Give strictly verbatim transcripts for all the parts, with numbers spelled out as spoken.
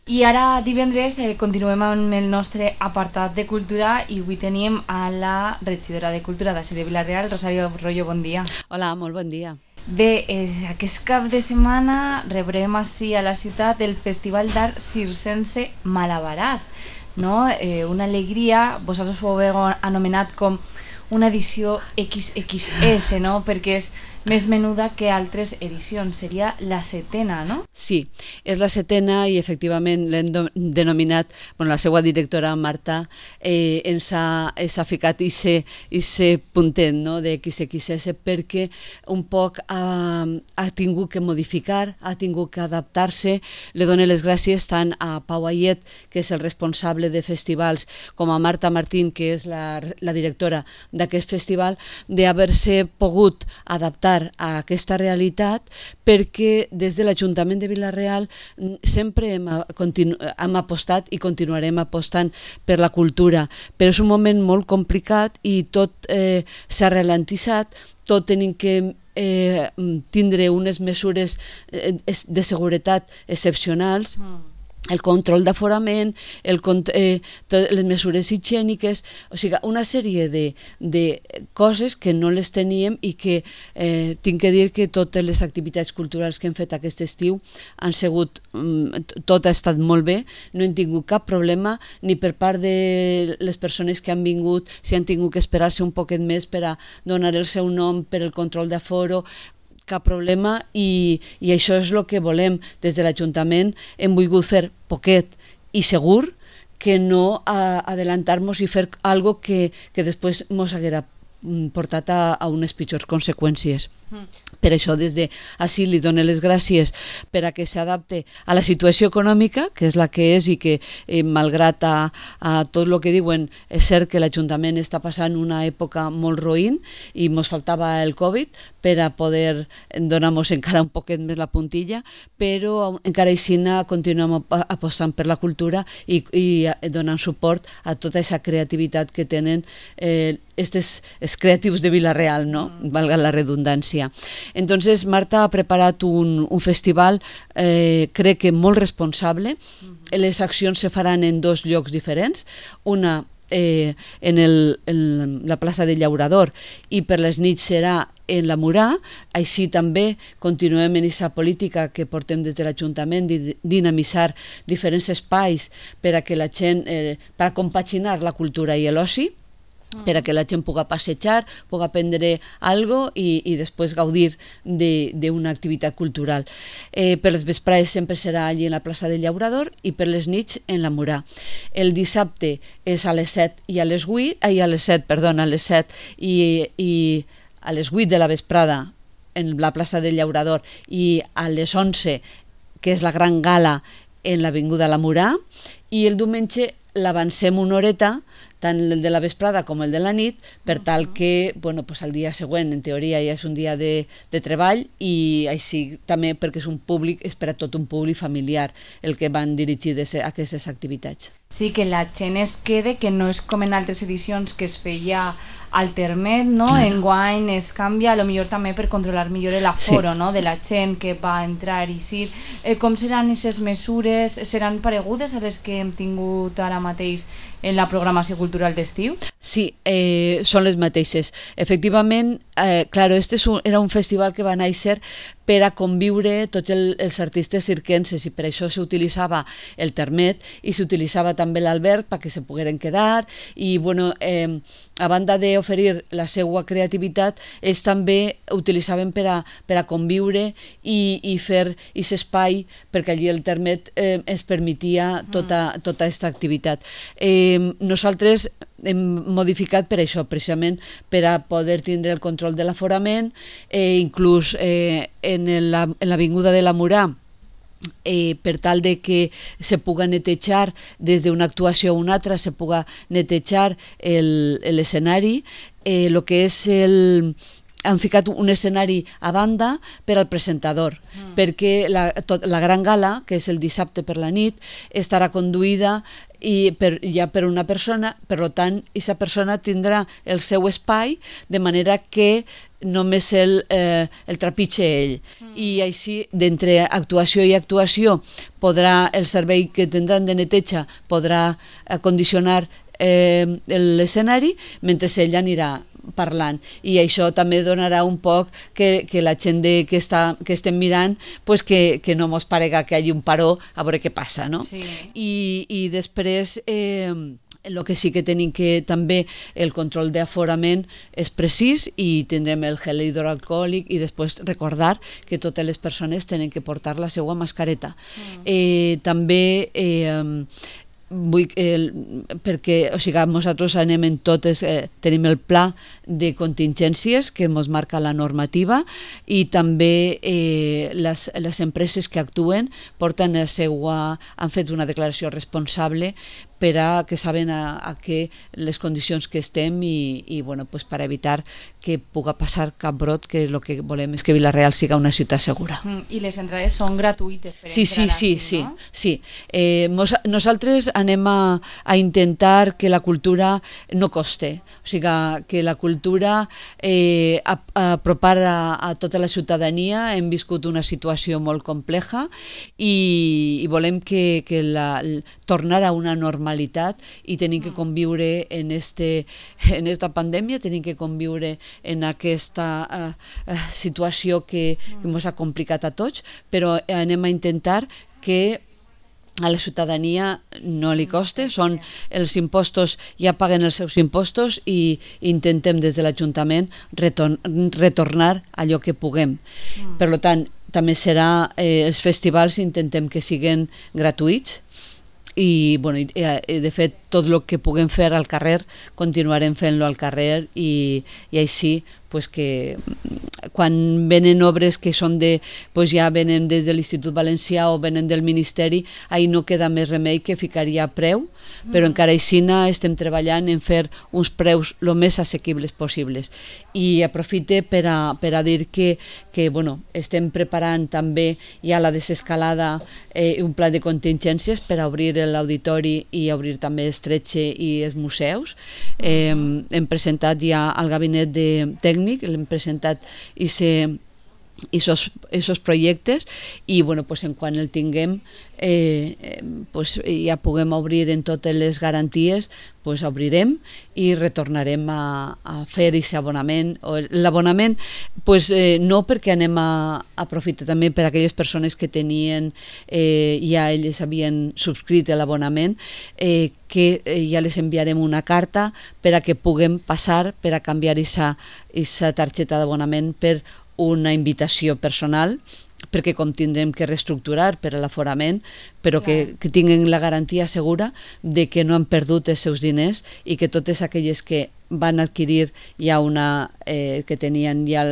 I ara divendres eh, continuem amb el nostre apartat de cultura i avui tenim a la regidora de Cultura d'ací de Vila-real, Rosario Rollo, bon dia. Hola, molt bon dia. Bé, eh, aquest cap de setmana rebrem ací a la ciutat el Festival d'Art Circense Malabarat, no? Eh, una alegria, vosaltres ho heu anomenat com una edició equis equis esse, no? Perquè és més menuda que altres edicions, seria la setena, no? Sí, és la setena i efectivament l'hem denominat, bueno, la seva directora Marta eh, ens, ha, ens ha ficat aquest puntet, no?, de equis equis esse perquè un poc ha, ha tingut que modificar, ha tingut que adaptar-se. Le dono les gràcies tant a Pau Ayet, que és el responsable de festivals, com a Marta Martín, que és la, la directora d'aquest festival, d'haver-se pogut adaptar a aquesta realitat, perquè des de l'Ajuntament de Vila-real sempre hem, continu, hem apostat i continuarem apostant per la cultura, però és un moment molt complicat i tot eh, s'ha ralentitzat, tot tenim que eh, tindre unes mesures eh, de seguretat excepcionals, mm. el control d'aforament, el, eh, les mesures higièniques, o sigui, una sèrie de, de coses que no les teníem i que eh, tinc que dir que totes les activitats culturals que hem fet aquest estiu han sigut, tot ha estat molt bé, no hem tingut cap problema, ni per part de les persones que han vingut, si han tingut que esperar-se un poquet més per a donar el seu nom per el control d'aforo, cap problema, i, i això és el que volem des de l'Ajuntament. Hem volgut fer poquet i segur, que no adelantar-nos i fer algo que, que després ens haguera portat a, a unes pitjors conseqüències. Mm. Per això des de així li dono les gràcies per a que s'adapte a la situació econòmica, que és la que és, i que eh, malgrat a, a tot el que diuen, és cert que l'Ajuntament està passant una època molt roïn i ens faltava el Covid per a poder donar-nos encara un poquet més la puntilla, però encara així continuem apostant per la cultura i, i donant suport a tota aquesta creativitat que tenen eh, estes, els creatius de Vila-real, no? Mm. Valga la redundància. Entonces Marta ha preparat un, un festival, eh, crec que molt responsable. Mm-hmm. Les accions se faran en dos llocs diferents, una eh, en, el, en la plaça del Llaurador i per les nits serà en la Murà. Així també continuem en aquesta política que portem des de l'Ajuntament de dinamitzar diferents espais per a que la gent, eh, per a compaginar la cultura i l'oci, per a que la gent pugui passejar, pugui aprendre alguna cosa i, i després gaudir d'una activitat cultural. Eh, per les vesprades sempre serà allí en la plaça del Llaurador i per les nits en la Murà. El dissabte és a les set i a les vuit, ai, a les set, perdona, a les set i, i a les vuit de la vesprada en la plaça del Llaurador i a les onze, que és la gran gala, en l'avinguda La Murà, i el diumenge l'avancem una horeta, tant el de la vesprada com el de la nit, per tal que, bueno, pues el dia següent, en teoria, ja és un dia de, de treball, i així també perquè és un públic, és per a tot un públic familiar el que van dirigides a aquestes activitats. Sí, que la gent es quede, que no és com en altres edicions que es feia alternet, no? Claro. Enguany es canvia, a lo millor també per controlar millor l'aforo, sí, no?, de la gent que va entrar i sí. Eh, com seran aquestes mesures? Seran paregudes a les que hem tingut ara mateix en la programació cultural d'estiu? Sí, eh, són les mateixes. Efectivament, eh, claro, este un, era un festival que va néixer per a conviure tots el, els artistes circenses i per això s'utilitzava el termet i s'utilitzava també l'alberg perquè se pogueren quedar i, bueno, eh, a banda d'oferir la seva creativitat, ells també utilitzaven per a, per a conviure i, i fer aquest espai perquè allí el termet eh, es permetia tota, tota aquesta activitat. Eh, nosaltres hem modificat per això, precisament per a poder tindre el control de l'aforament, eh, inclús eh, en l'avinguda de la Murà, eh, per tal de que se puga netejar des d'una actuació a una altra, se puga netejar l'escenari, el, eh, lo que és el han ficat un escenari a banda per al presentador, mm. perquè la, tot, la gran gala, que és el dissabte per la nit, estarà conduïda i per, ja per una persona, per tant, aquesta persona tindrà el seu espai, de manera que només el, eh, el trepitge ell. Mm. I així, d'entre actuació i actuació, podrà el servei que tindran de neteja podrà condicionar eh, l'escenari, mentre ell anirà parlant, i això també donarà un poc que, que la gent de, que, està, que estem mirant pues que, que no mos parega que hi hagi un paró a veure què passa, no? Sí. I, i després eh, el que sí que tenim que també el control d'aforament és precís i tindrem el gel hidroalcohòlic i després recordar que totes les persones tenen que portar la seva mascareta. Mm. Eh, també eh, vull, eh, perquè o sigui, nosaltres anem en totes, eh, tenim el pla de contingències que ens marca la normativa i també eh, les, les empreses que actuen porten el seu, han fet una declaració responsable per a que saben a, a que les condicions que estem i, i bueno, pues per evitar que pugui passar cap brot, que el que volem és que Vila-real siga una ciutat segura. Mm, I les entrades són gratuïtes per sí, entrar sí, aquí, sí, no? Sí, sí. Eh, mos, nosaltres anem a, a intentar que la cultura no coste, o sigui, que la cultura eh, a, a apropar a, a tota la ciutadania. Hem viscut una situació molt compleja i, i volem que, que la, tornar a una normalitat i tenim que conviure en, este, en esta pandèmia, tenim que conviure en aquesta uh, uh, situació que, que ens ha complicat a tots, però anem a intentar que a la ciutadania no li coste, són els impostos, ja paguen els seus impostos i intentem des de l'Ajuntament retorn, retornar allò que puguem. Mm. Per tant, també serà, eh, els festivals intentem que siguin gratuïts, i, bueno, i de fet tot el que puguem fer al carrer continuarem fent-lo al carrer i, i així pues que quan venen obres que són de, pues ja venen des de l'Institut Valencià o venen del Ministeri, ahí no queda més remei que ficaria preu, però mm. encara així estem treballant en fer uns preus el més assequibles possibles. I aprofite per a, per a dir que, que bueno, estem preparant també ja la desescalada, eh, un pla de contingències per a obrir l'auditori i obrir també Estretxe i els museus. Eh, hem presentat ja al gabinet de tècnic, l'hem presentat i se esos, esos projectes i bueno, pues en quan el tinguem eh, eh, pues ja puguem obrir en totes les garanties, pues obrirem i retornarem a, a fer aquest abonament. L'abonament pues, eh, no perquè anem a, a aprofitar també per a aquelles persones que tenien eh, ja elles havien subscrit l'abonament, eh, que eh, ja les enviarem una carta per a que puguem passar per a canviar aquesta targeta d'abonament per una invitació personal, perquè com tindrem que reestructurar per a l'aforament, però que, que tinguin la garantia segura de que no han perdut els seus diners i que totes aquelles que van adquirir ja una, eh, que tenien ja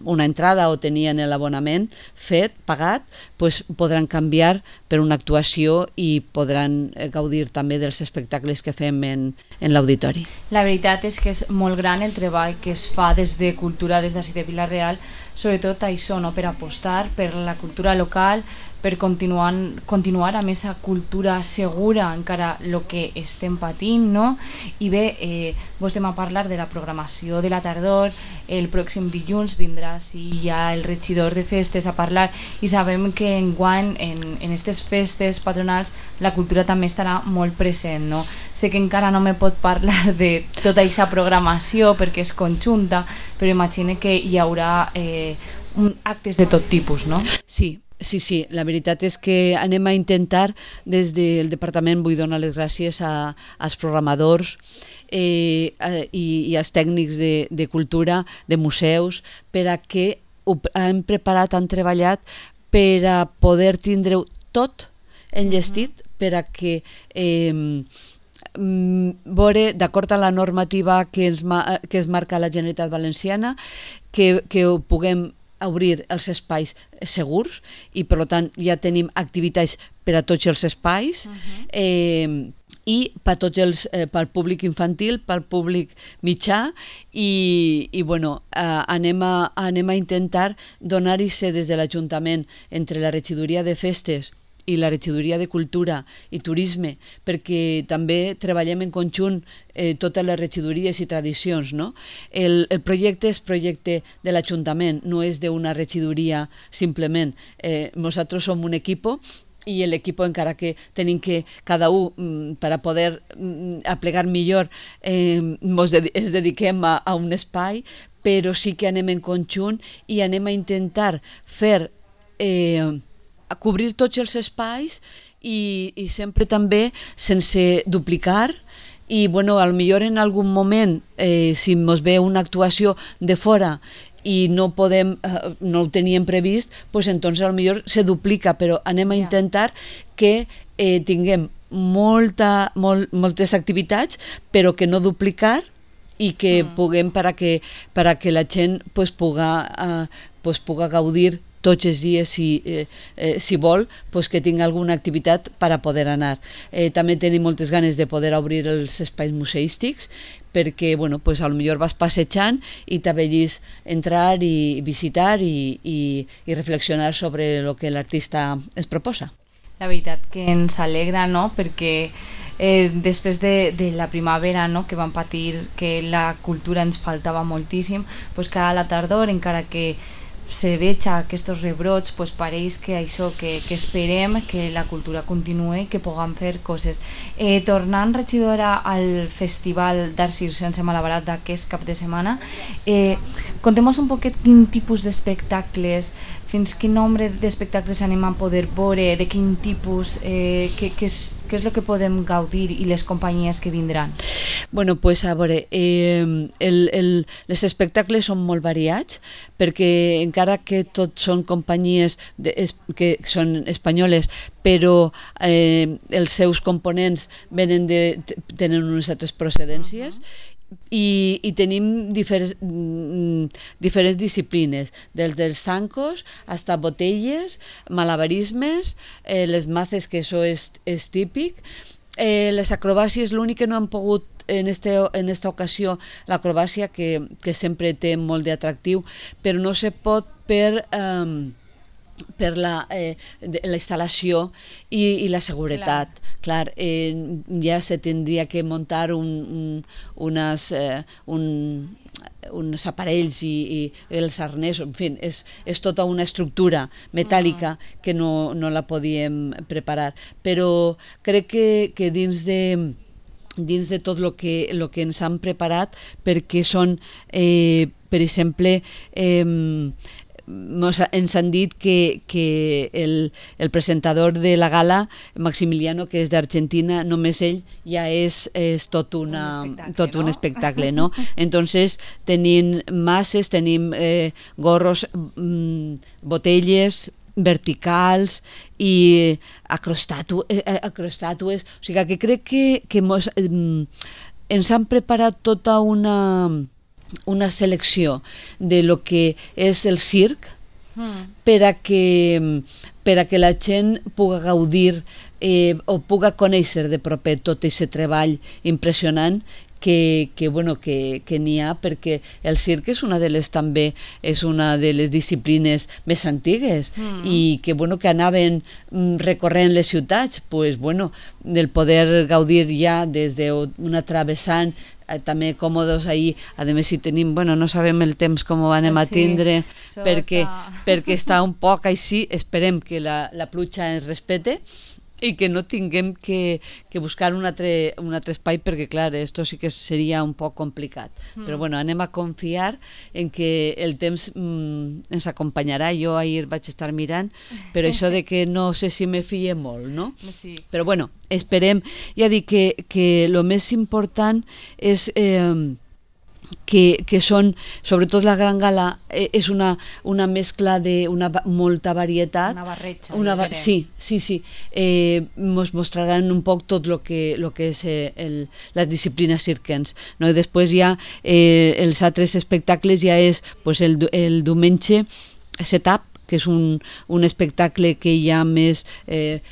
una entrada o tenien l'abonament fet, pagat, pues podran canviar per una actuació i podran gaudir també dels espectacles que fem en, en l'auditori. La veritat és que és molt gran el treball que es fa des de Cultura, des d'ací de Vila-real, sobretot això, no? Per apostar per la cultura local, per continuar, continuar amb aquesta cultura segura encara el que estem patint, no? I bé, eh, vos estem a parlar de la programació de la tardor, el pròxim dilluns vindrà sí, ja el regidor de festes a parlar i sabem que enguany en aquestes festes patronals la cultura també estarà molt present, no? Sé que encara no me pot parlar de tota aquesta programació perquè és conjunta, però imagine que hi haurà eh, un, actes de tot tipus, no? Sí. Sí, sí, la veritat és que anem a intentar, des del departament vull donar les gràcies a, als programadors eh, i, i als tècnics de, de cultura, de museus, per a que ho hem preparat, han treballat per a poder tindre-ho tot enllestit, per a que eh, veure, d'acord amb la normativa que es, que es marca la Generalitat Valenciana, que, que ho puguem obrir els espais segurs i per tant ja tenim activitats per a tots els espais. Uh-huh. eh, i per tots els, eh, pel públic infantil, pel públic mitjà i, i bueno, eh, anem, a, anem a intentar donar-hi des de l'Ajuntament entre la regidoria de festes i la regidoria de Cultura i Turisme, perquè també treballem en conjunt eh, totes les regidories i tradicions, no? El, el projecte és projecte de l'Ajuntament, no és d'una regidoria simplement. Eh, nosaltres som un equipo i l'equip, encara que tenim que cada un, per a poder aplegar millor, eh, ens de, dediquem a, a un espai, però sí que anem en conjunt i anem a intentar fer, eh, a cobrir tots els espais i, i sempre també sense duplicar. I, bueno, al millor en algun moment, eh, si ens ve una actuació de fora i no podem, eh, no ho teníem previst, pues entonces al millor se duplica, però anem a intentar que eh, tinguem molta, molt, moltes activitats, però que no duplicar i que mm. puguem per a que, per a que la gent pues, puga, eh, pues, puga gaudir tots els dies, si, eh, eh, si vol, pues que tingui alguna activitat per a poder anar. Eh, també tenim moltes ganes de poder obrir els espais museístics, perquè, bueno, pues a lo millor vas passejant i t'avellis entrar i visitar i, i, i reflexionar sobre el que l'artista es proposa. La veritat que ens alegra, no?, perquè eh, després de, de la primavera, no?, que vam patir que la cultura ens faltava moltíssim, pues cada la tardor, encara que se veja aquests rebrots, pues pareix que això, que, que esperem que la cultura continuï i que puguem fer coses. Eh, tornant, regidora, al Festival d'Art Circense Malabarat d'aquest cap de setmana, eh, contem-nos un poquet quin tipus d'espectacles, fins quin nombre d'espectacles anem a poder veure, de quin tipus, eh, què, què, és, què és el que podem gaudir i les companyies que vindran? Bueno, pues a veure, eh, el, el, els espectacles són molt variats, perquè encara que tots són companyies de, es, que són espanyoles, però eh, els seus components venen de, tenen unes altres procedències, uh-huh. I, i tenim diferents, diferents disciplines, des dels zancos hasta botelles, malabarismes, eh, les maces, que això és, és típic, eh, les acrobàcies, l'únic que no han pogut en, este, en esta ocasió, l'acrobàcia, que, que sempre té molt d'atractiu, però no se pot per... Eh, per la, eh, la instal·lació i, i la seguretat. Clar, Clar eh, ja se tindria que muntar un, un, unes, eh, un, uns aparells i, i els arnesos, en fi, és, és tota una estructura metàl·lica que no, no la podíem preparar. Però crec que, que dins de dins de tot el que, lo que ens han preparat, perquè són, eh, per exemple, eh, ens han dit que, que el, el presentador de la gala, Maximiliano, que és d'Argentina, només ell ja és, és tot, una, un espectacle, tot no? un espectacle, no? Entonces tenim masses, tenim eh, gorros, mm, botelles verticals i acrostatu, eh, acrostatues, o sigui que crec que, que mos, eh, ens han preparat tota una una selecció de lo que és el circ mm. per a que, per a que la gent pugui gaudir eh, o pugui conèixer de proper tot aquest treball impressionant que, que, bueno, que, que n'hi ha, perquè el circ és una de les també és una de les disciplines més antigues mm. i que, bueno, que anaven recorrent les ciutats, pues, bueno, del poder gaudir ja des d'una travessant també còmodes ahir, a més si tenim, bueno, no sabem el temps com ho anem a tindre, sí, perquè, està... perquè està un poc així, esperem que la, la pluja ens respete i que no tinguem que, que buscar un altre, un altre espai, perquè clar, esto sí que seria un poc complicat, mm. però bueno, anem a confiar en que el temps mm, ens acompanyarà. Jo ahir vaig estar mirant, però això de que no sé si me fie molt, no? Sí. Però bueno, esperem, ja dic que, que el més important és eh, que, que són, sobretot la Gran Gala, eh, és una, una mescla de una molta varietat. Una barreja. Una ba sí, sí, sí. Eh, mos mostraran un poc tot el que, lo que és eh, el, les disciplines circenses, no? I després ja eh, els altres espectacles ja és pues, el, el diumenge setup, que és un, un espectacle que hi ha més, eh,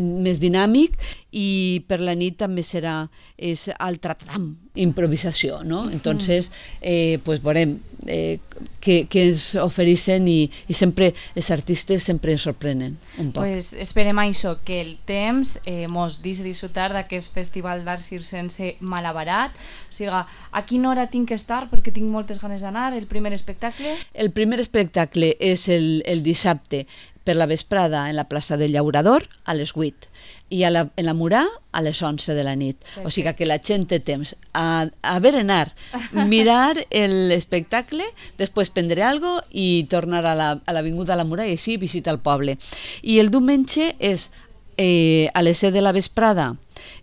més dinàmic, i per la nit també serà és altre tram, improvisació, no? Entonces, eh, pues veurem eh, què, què ens ofereixen, i, i sempre els artistes sempre ens sorprenen un poc. Pues esperem això, que el temps eh, mos deixi disfrutar d'aquest festival d'art circense Malabarat. O sigui, a quina hora tinc que estar? Perquè tinc moltes ganes d'anar. El primer espectacle? El primer espectacle és el, el dissabte per la vesprada en la plaça del Llaurador a les vuit, i a la, en la Murà a les onze de la nit. Perfecte. O sigui que la gent té temps a, a berenar, mirar l'espectacle, després prendre algo i tornar a l'avinguda a la Murà i així visitar el poble. I el diumenge és eh, a les set de la vesprada,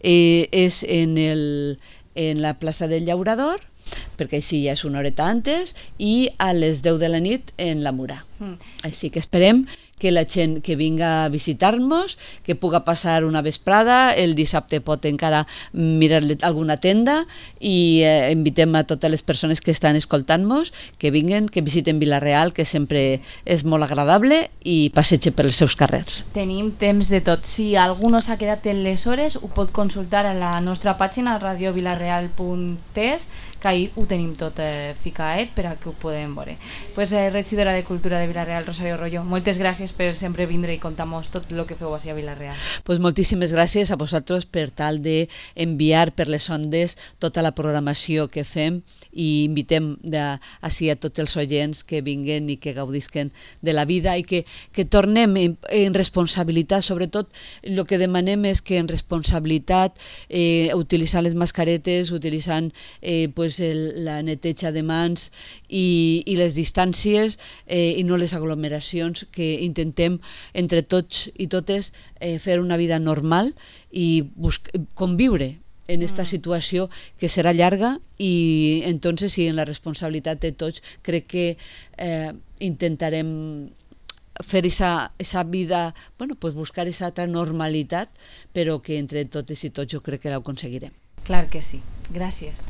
eh, és en, el, en la plaça del Llaurador, perquè així ja és una horeta antes, i a les deu de la nit en la Murà. Mm. Així que esperem que la gent que vinga a visitar-nos, que puga passar una vesprada, el dissabte pot encara mirar alguna tenda, i eh, invitem a totes les persones que estan escoltant-nos que vinguen, que visiten Vila-real, que sempre és molt agradable, i passegen per els seus carrers. Tenim temps de tot. Si algú no s'ha quedat en les hores, ho pot consultar a la nostra pàgina radio vilareal punt es, que ahir ho tenim tot eh, ficat per a que ho podem veure. Pues, eh, regidora de Cultura de Vila-real, Rosario Rollo, moltes gràcies per sempre vindre i contar-nos tot el que feu així a Vila-real. Pues moltíssimes gràcies a vosaltres per tal d'enviar per les ondes tota la programació que fem, i invitem de, així a tots els oients que vinguen i que gaudisquen de la vida, i que, que tornem en, en responsabilitat. Sobretot el que demanem és que en responsabilitat, eh, utilitzant les mascaretes, utilitzant eh, pues el, la neteja de mans i, i les distàncies, eh, i no les aglomeracions, que intentem entre tots i totes eh, fer una vida normal i conviure en esta situació que serà llarga, i entonces, sí, en la responsabilitat de tots, crec que eh, intentarem fer esa, esa vida, bueno, pues buscar esa altra normalitat, però que entre totes i tots jo crec que l'aconseguirem. Clar que sí. Gràcies.